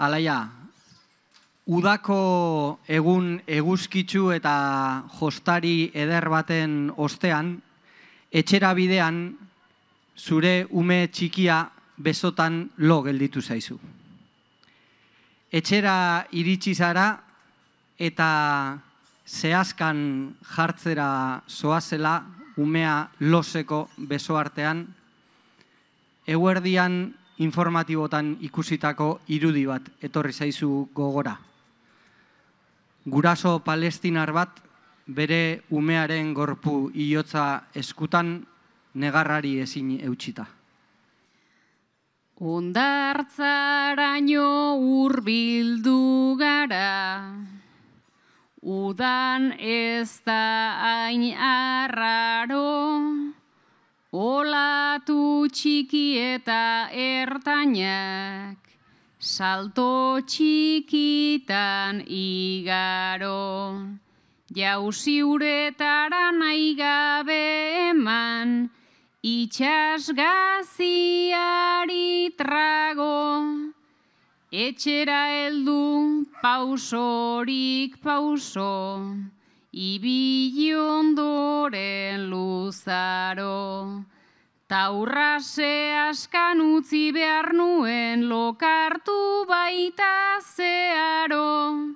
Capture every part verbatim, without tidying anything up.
Alaia, udako egun eguzkitsu eta jostari eder baten ostean, etxera bidean zure ume txikia besotan lo gelditu zaizu. Etxera iritsi zara eta zehazkan jartzera zoazela umea loseko beso artean, eguerdian informatibotan ikusitako irudi bat etorri zaizu gogora. Guraso palestinar bat bere umearen gorpu hilotza eskutan negarrari ezin eutxita. Hondartzaraino hurbildu gara, udan ez da hain arraro, olatu txiki eta ertainak, salto txikitan igaro. Jauzi uretara nahi gabe eman, itxasgaziari trago. Etxera heldu pausorik pauso, ibili ondoren luzaro. Taurrase askan utzi behar nuen lokartu baita zeharo.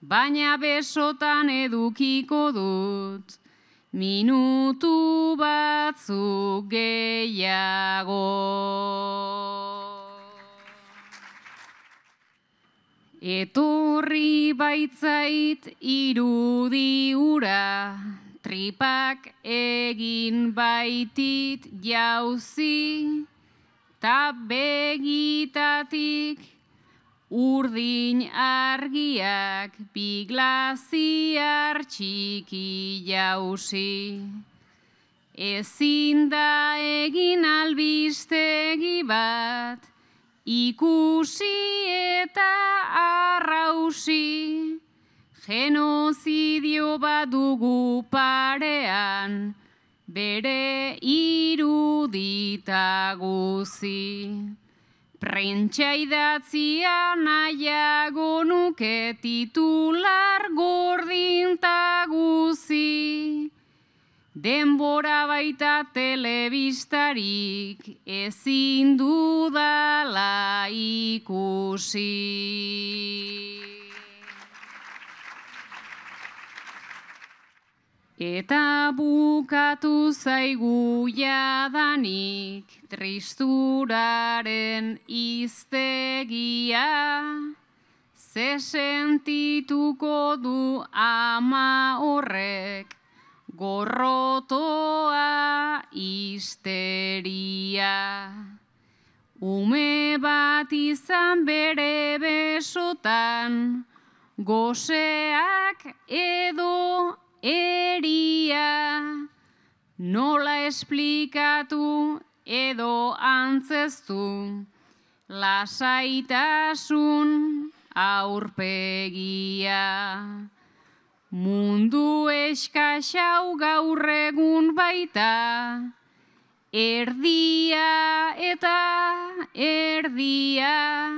Baina besotan edukiko dut, minutu batzuk gehiago. Etorri baitzait irudi ura, tripak egin baitit jauzi, ta begitatik urdin argiak biglaziar txiki jauzi. Ezin da egin albistegi bat, ikusi eta arrausi, genozidio bat dugu parean, bere irudita guzi. Prentsa idatzia nahiago nuke titular gordinta guzi. Denbora baita telebistarik ezin dudala ikusi. Eta bukatu zaigu jadanik tristuraren hiztegia, ze sentituko du ama horrek gorrotoa histeria. Ume bat izan bere besotan, goseak edo eria. Nola esplikatu edo antzeztu, lasaitasun aurpegia. Mundu eskasau gaur egun baita, erdia eta erdia.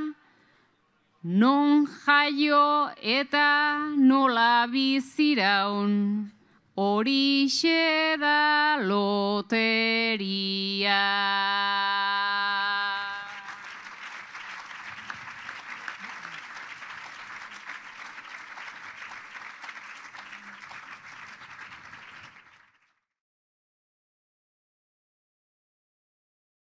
Non jaio eta nola biziraun, horixe da loteria.